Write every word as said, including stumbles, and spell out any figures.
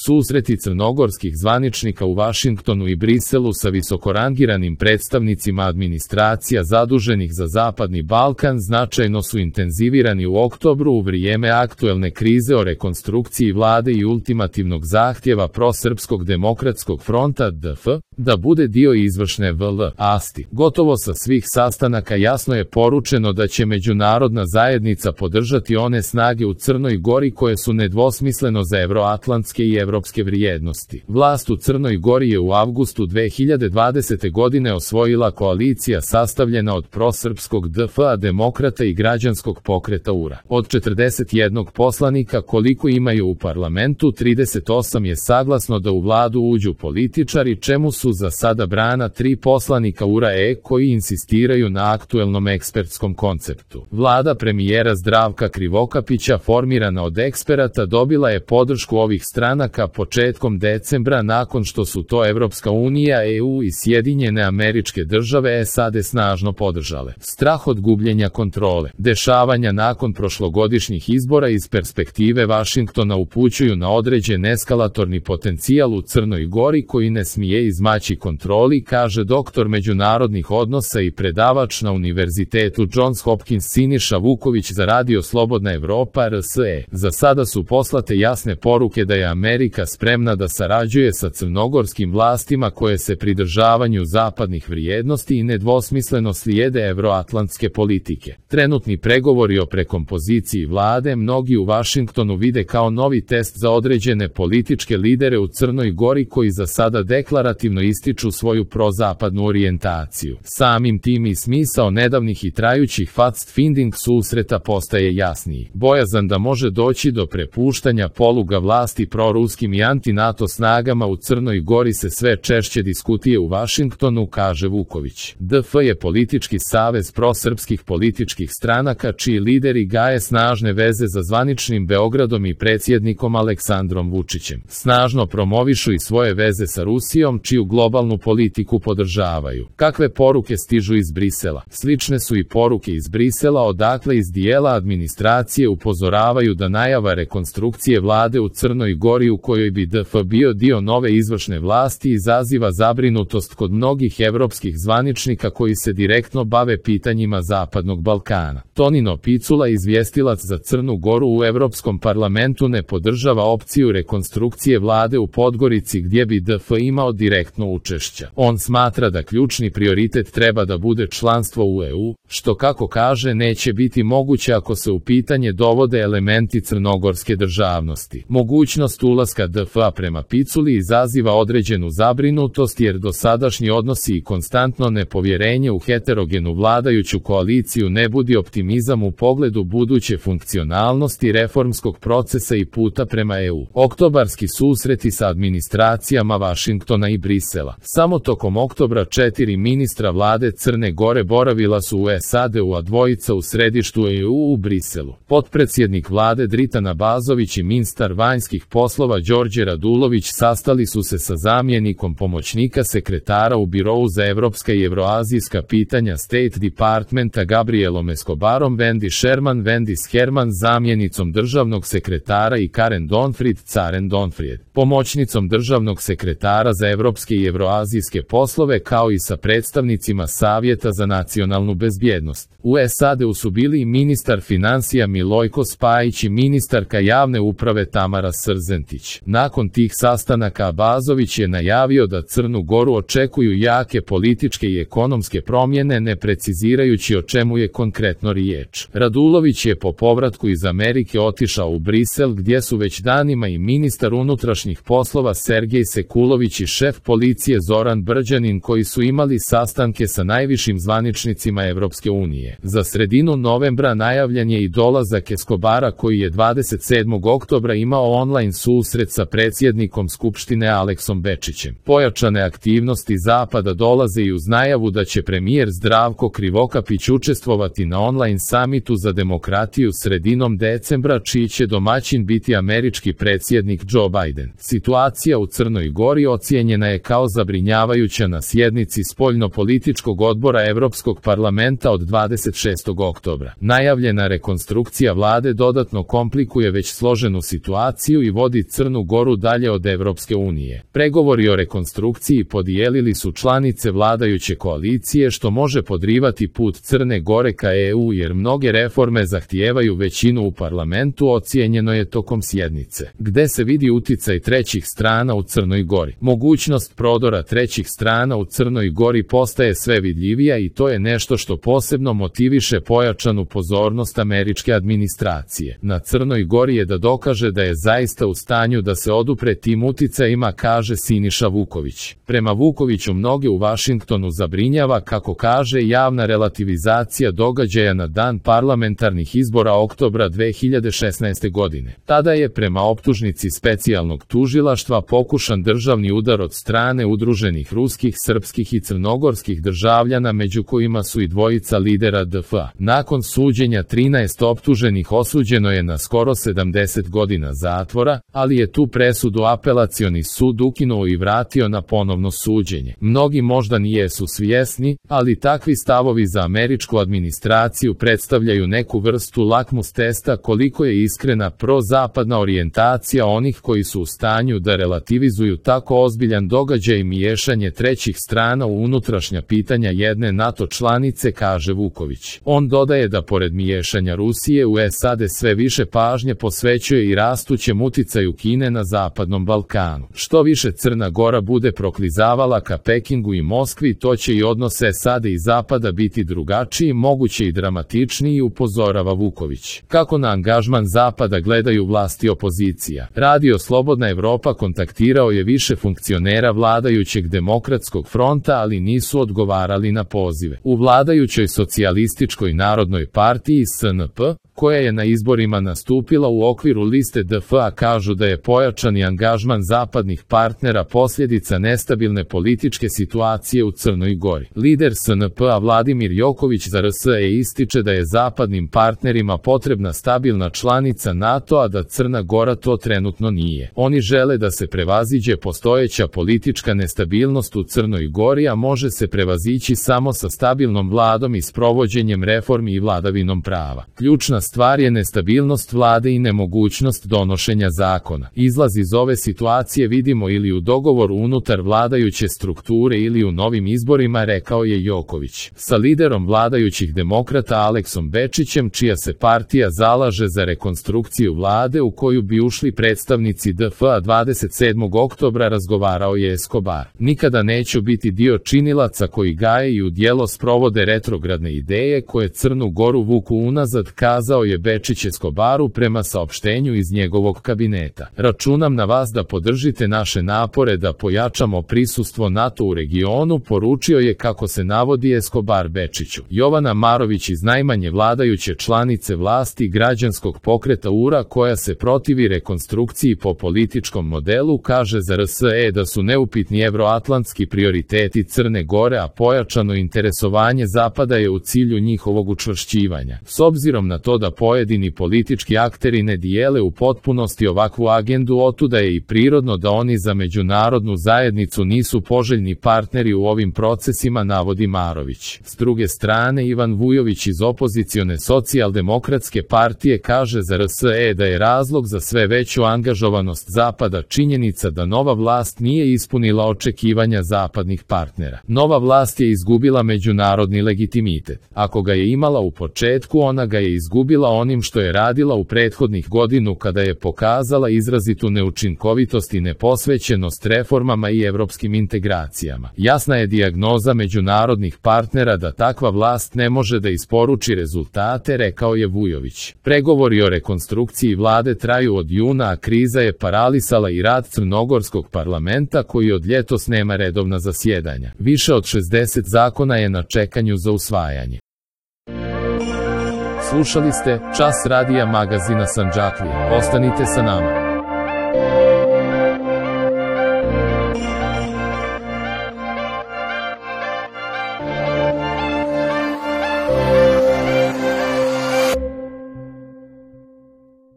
Susreti crnogorskih zvaničnika u Vašingtonu i Briselu sa visokorangiranim predstavnicima administracija zaduženih za Zapadni Balkan značajno su intenzivirani u oktobru u vrijeme aktuelne krize o rekonstrukciji vlade i ultimativnog zahtjeva prosrpskog demokratskog fronta D F da bude dio izvršne vlasti. Gotovo sa svih sastanaka jasno je poručeno da će međunarodna zajednica podržati one snage u Crnoj Gori koje su nedvosmisleno za evroatlantske i evropske vrijednosti. Vlast u Crnoj Gori je u avgustu dve hiljade dvadesete. godine osvojila koalicija sastavljena od prosrpskog D F-a, demokrata i građanskog pokreta U R A. Od četrdeset jednog poslanika koliko imaju u parlamentu, trideset osam je saglasno da u vladu uđu političari, čemu su za sada brana tri poslanika U R A-e koji insistiraju na aktuelnom ekspertskom konceptu. Vlada premijera Zdravka Krivokapića, formirana od eksperata, dobila je podršku ovih stranaka početkom decembra nakon što su to Evropska unija, E U i Sjedinjene Američke Države S A D snažno podržale. Strah od gubljenja kontrole. Dešavanja nakon prošlogodišnjih izbora iz perspektive Vašingtona upućuju na određen eskalatorni potencijal u Crnoj Gori koji ne smije izmaći kontroli, kaže doktor međunarodnih odnosa i predavač na Univerzitetu Johns Hopkins Siniša Vuković za Radio Slobodna Evropa R S E. Za sada su poslate jasne poruke da je Amerika spremna da sarađuje sa crnogorskim vlastima koje se pridržavanju zapadnih vrijednosti i nedvosmisleno slijede evroatlantske politike. Trenutni pregovori o prekompoziciji vlade mnogi u Vašingtonu vide kao novi test za određene političke lidere u Crnoj Gori koji za sada deklarativno ističu svoju prozapadnu orijentaciju. Samim tim i smisao nedavnih i trajućih fact-finding susreta postaje jasniji. Bojazan da može doći do prepuštanja poluga vlasti proruskim i anti-NATO snagama u Crnoj Gori se sve češće diskutuje u Vašingtonu, kaže Vuković. D F je politički savez prosrpskih političkih stranaka čiji lideri gaje snažne veze za zvaničnim Beogradom i predsjednikom Aleksandrom Vučićem. Snažno promovišu i svoje veze sa Rusijom, čiju globalnu politiku podržavaju. Kakve poruke stižu iz Brisela? Slične su i poruke iz Brisela, odakle iz dijela administracije upozoravaju da najava rekonstrukcije vlade u Crnoj Gori u kojoj bi D F bio dio nove izvršne vlasti izaziva zabrinutost kod mnogih evropskih zvaničnika koji se direktno bave pitanjima Zapadnog Balkana. Tonino Picula, izvjestilac za Crnu Goru u Evropskom parlamentu, ne podržava opciju rekonstrukcije vlade u Podgorici gdje bi D F imao direktno učešća. On smatra da ključni prioritet treba da bude članstvo u E U, što kako kaže neće biti moguće ako se u pitanje dovode elementi crnogorske državnosti. Mogućnost ulaska D F-a prema Piculi izaziva određenu zabrinutost jer dosadašnji odnosi i konstantno nepovjerenje u heterogenu vladajuću koaliciju ne budi optimizam u pogledu buduće funkcionalnosti reformskog procesa i puta prema E U. Oktobarski susreti sa administracijama Vašingtona i Brisela. Samo tokom oktobra četiri ministra vlade Crne Gore boravila su u S A D-u, a dvojica u središtu E U u Briselu. Potpredsjednik vlade Dritan Abazović i ministar vanjskih poslova Đorđe Radulović sastali su se sa zamjenikom pomoćnika sekretara u Birou za evropska i evroazijska pitanja State Departmenta Gabrielom Escobarom, Wendy Sherman, Wendy Sherman, zamjenicom državnog sekretara i Karen Donfried, Karen Donfried, pomoćnicom državnog sekretara za evropske i evroazijske poslove, kao i sa predstavnicima Savjeta za nacionalnu bezbjednost. U S A D-u su bili i ministar financija Milojko Spajić i ministarka javne uprave Tamara Srzentić. Nakon tih sastanaka Abazović je najavio da Crnu Goru očekuju jake političke i ekonomske promjene, ne precizirajući o čemu je konkretno riječ. Radulović je po povratku iz Amerike otišao u Brisel gdje su već danima i ministar unutrašnjih poslova Sergej Sekulović i šef policije Zoran Brđanin koji su imali sastanke sa najvišim zvaničnicima Evropske unije. Za sredinu novembra najavljen je i dolazak Escobara koji je dvadeset sedmog oktobra imao online susret sa predsjednikom Skupštine Aleksom Bečićem. Pojačane aktivnosti Zapada dolaze i uz najavu da će premijer Zdravko Krivokapić učestvovati na online samitu za demokratiju sredinom decembra, čiji će domaćin biti američki predsjednik Joe Biden. Situacija u Crnoj Gori ocijenjena je kao zabrinjavajuća na sjednici spoljnopolitičkog odbora Evropskog parlamenta od dvadeset šestog oktobra. Najavljena rekonstrukcija vlade dodatno komplikuje već složenu situaciju i vodi Crnu Crnu Goru dalje od Evropske unije. Pregovori o rekonstrukciji podijelili su članice vladajuće koalicije, što može podrivati put Crne Gore ka E U jer mnoge reforme zahtijevaju većinu u parlamentu, ocijenjeno je tokom sjednice, gde se vidi uticaj trećih strana u Crnoj Gori. Mogućnost prodora trećih strana u Crnoj Gori postaje sve vidljivija i to je nešto što posebno motiviše pojačanu pozornost američke administracije na Crnoj Gori je da dokaže da je zaista u stanju da se odupre tim uticajima, kaže Siniša Vuković. Prema Vukoviću mnoge u Vašingtonu zabrinjava, kako kaže, javna relativizacija događaja na dan parlamentarnih izbora oktobra dve hiljade šesnaeste. godine. Tada je prema optužnici specijalnog tužilaštva pokušan državni udar od strane udruženih ruskih, srpskih i crnogorskih državljana, među kojima su i dvojica lidera D F A. Nakon suđenja trinaest optuženih osuđeno je na skoro sedamdeset godina zatvora, ali je tu presudu apelacioni sud ukinuo i vratio na ponovno suđenje. Mnogi možda nijesu svjesni, ali takvi stavovi za američku administraciju predstavljaju neku vrstu lakmus testa koliko je iskrena prozapadna orijentacija onih koji su u stanju da relativizuju tako ozbiljan događaj i miješanje trećih strana u unutrašnja pitanja jedne NATO članice, kaže Vuković. On dodaje da pored miješanja Rusije u S A D sve više pažnje posvećuje i rastućem uticaju Kine na Zapadnom Balkanu. Što više Crna Gora bude proklizavala ka Pekingu i Moskvi, to će i odnose S A D i Zapada biti drugačiji, moguće i dramatičniji, upozorava Vuković. Kako na angažman Zapada gledaju vlasti i opozicija? Radio Slobodna Evropa kontaktirao je više funkcionera vladajućeg Demokratskog fronta, ali nisu odgovarali na pozive. U vladajućoj Socijalističkoj narodnoj partiji S N P, koja je na izborima nastupila u okviru liste D F A, kažu da je pojačani angažman zapadnih partnera posljedica nestabilne političke situacije u Crnoj Gori. Lider S N P-a Vladimir Joković za R S E ističe da je zapadnim partnerima potrebna stabilna članica NATO, a da Crna Gora to trenutno nije. Oni žele da se prevaziđe postojeća politička nestabilnost u Crnoj Gori, a može se prevazići samo sa stabilnom vladom i sprovođenjem reformi i vladavinom prava. Ključna stvar je nestabilnost vlade i nemogućnost donošenja zakona. Izlaz iz ove situacije vidimo ili u dogovoru unutar vladajuće strukture ili u novim izborima, rekao je Joković. Sa liderom vladajućih demokrata Aleksom Bečićem, čija se partija zalaže za rekonstrukciju vlade u koju bi ušli predstavnici D F A, dvadeset sedmog oktobra razgovarao je Escobar. Nikada neću biti dio činilaca koji gaje i u djelo sprovode retrogradne ideje koje Crnu Goru vuku unazad, kazao je Bečić Escobaru prema saopštenju iz njegovog kabineta. Računam na vas da podržite naše napore da pojačamo prisustvo NATO u regionu, poručio je, kako se navodi Escobar Bečiću. Jovana Marović iz najmanje vladajuće članice vlasti građanskog pokreta U R A, koja se protivi rekonstrukciji po političkom modelu, kaže za R S E da su neupitni evroatlantski prioriteti Crne Gore, a pojačano interesovanje Zapada je u cilju njihovog učvršćivanja. S obzirom na to da pojedini politički akteri ne dijele u potpunosti ovakvu agendu, otuda je i prirodno da oni za međunarodnu zajednicu nisu poželjni partneri u ovim procesima, navodi Marović. S druge strane, Ivan Vujović iz opozicione socijaldemokratske partije kaže za R S E da je razlog za sve veću angažovanost Zapada činjenica da nova vlast nije ispunila očekivanja zapadnih partnera. Nova vlast je izgubila međunarodni legitimitet. Ako ga je imala u početku, ona ga je izgubila onim što je radila u prethodnih godinu, kada je pokazala izrazitu neučinkovitost i neposvećenost reformama i evropskim integracijama. Jasna je dijagnoza međunarodnih partnera da takva vlast ne može da isporuči rezultate, rekao je Vujović. Pregovori o rekonstrukciji vlade traju od juna, a kriza je paralisala i rad crnogorskog parlamenta, koji od ljetos nema redovna zasjedanja. Više od šezdeset zakona je na čekanju za usvajanje. Slušali ste Čas radija magazina Sandžaklija. Ostanite sa nama.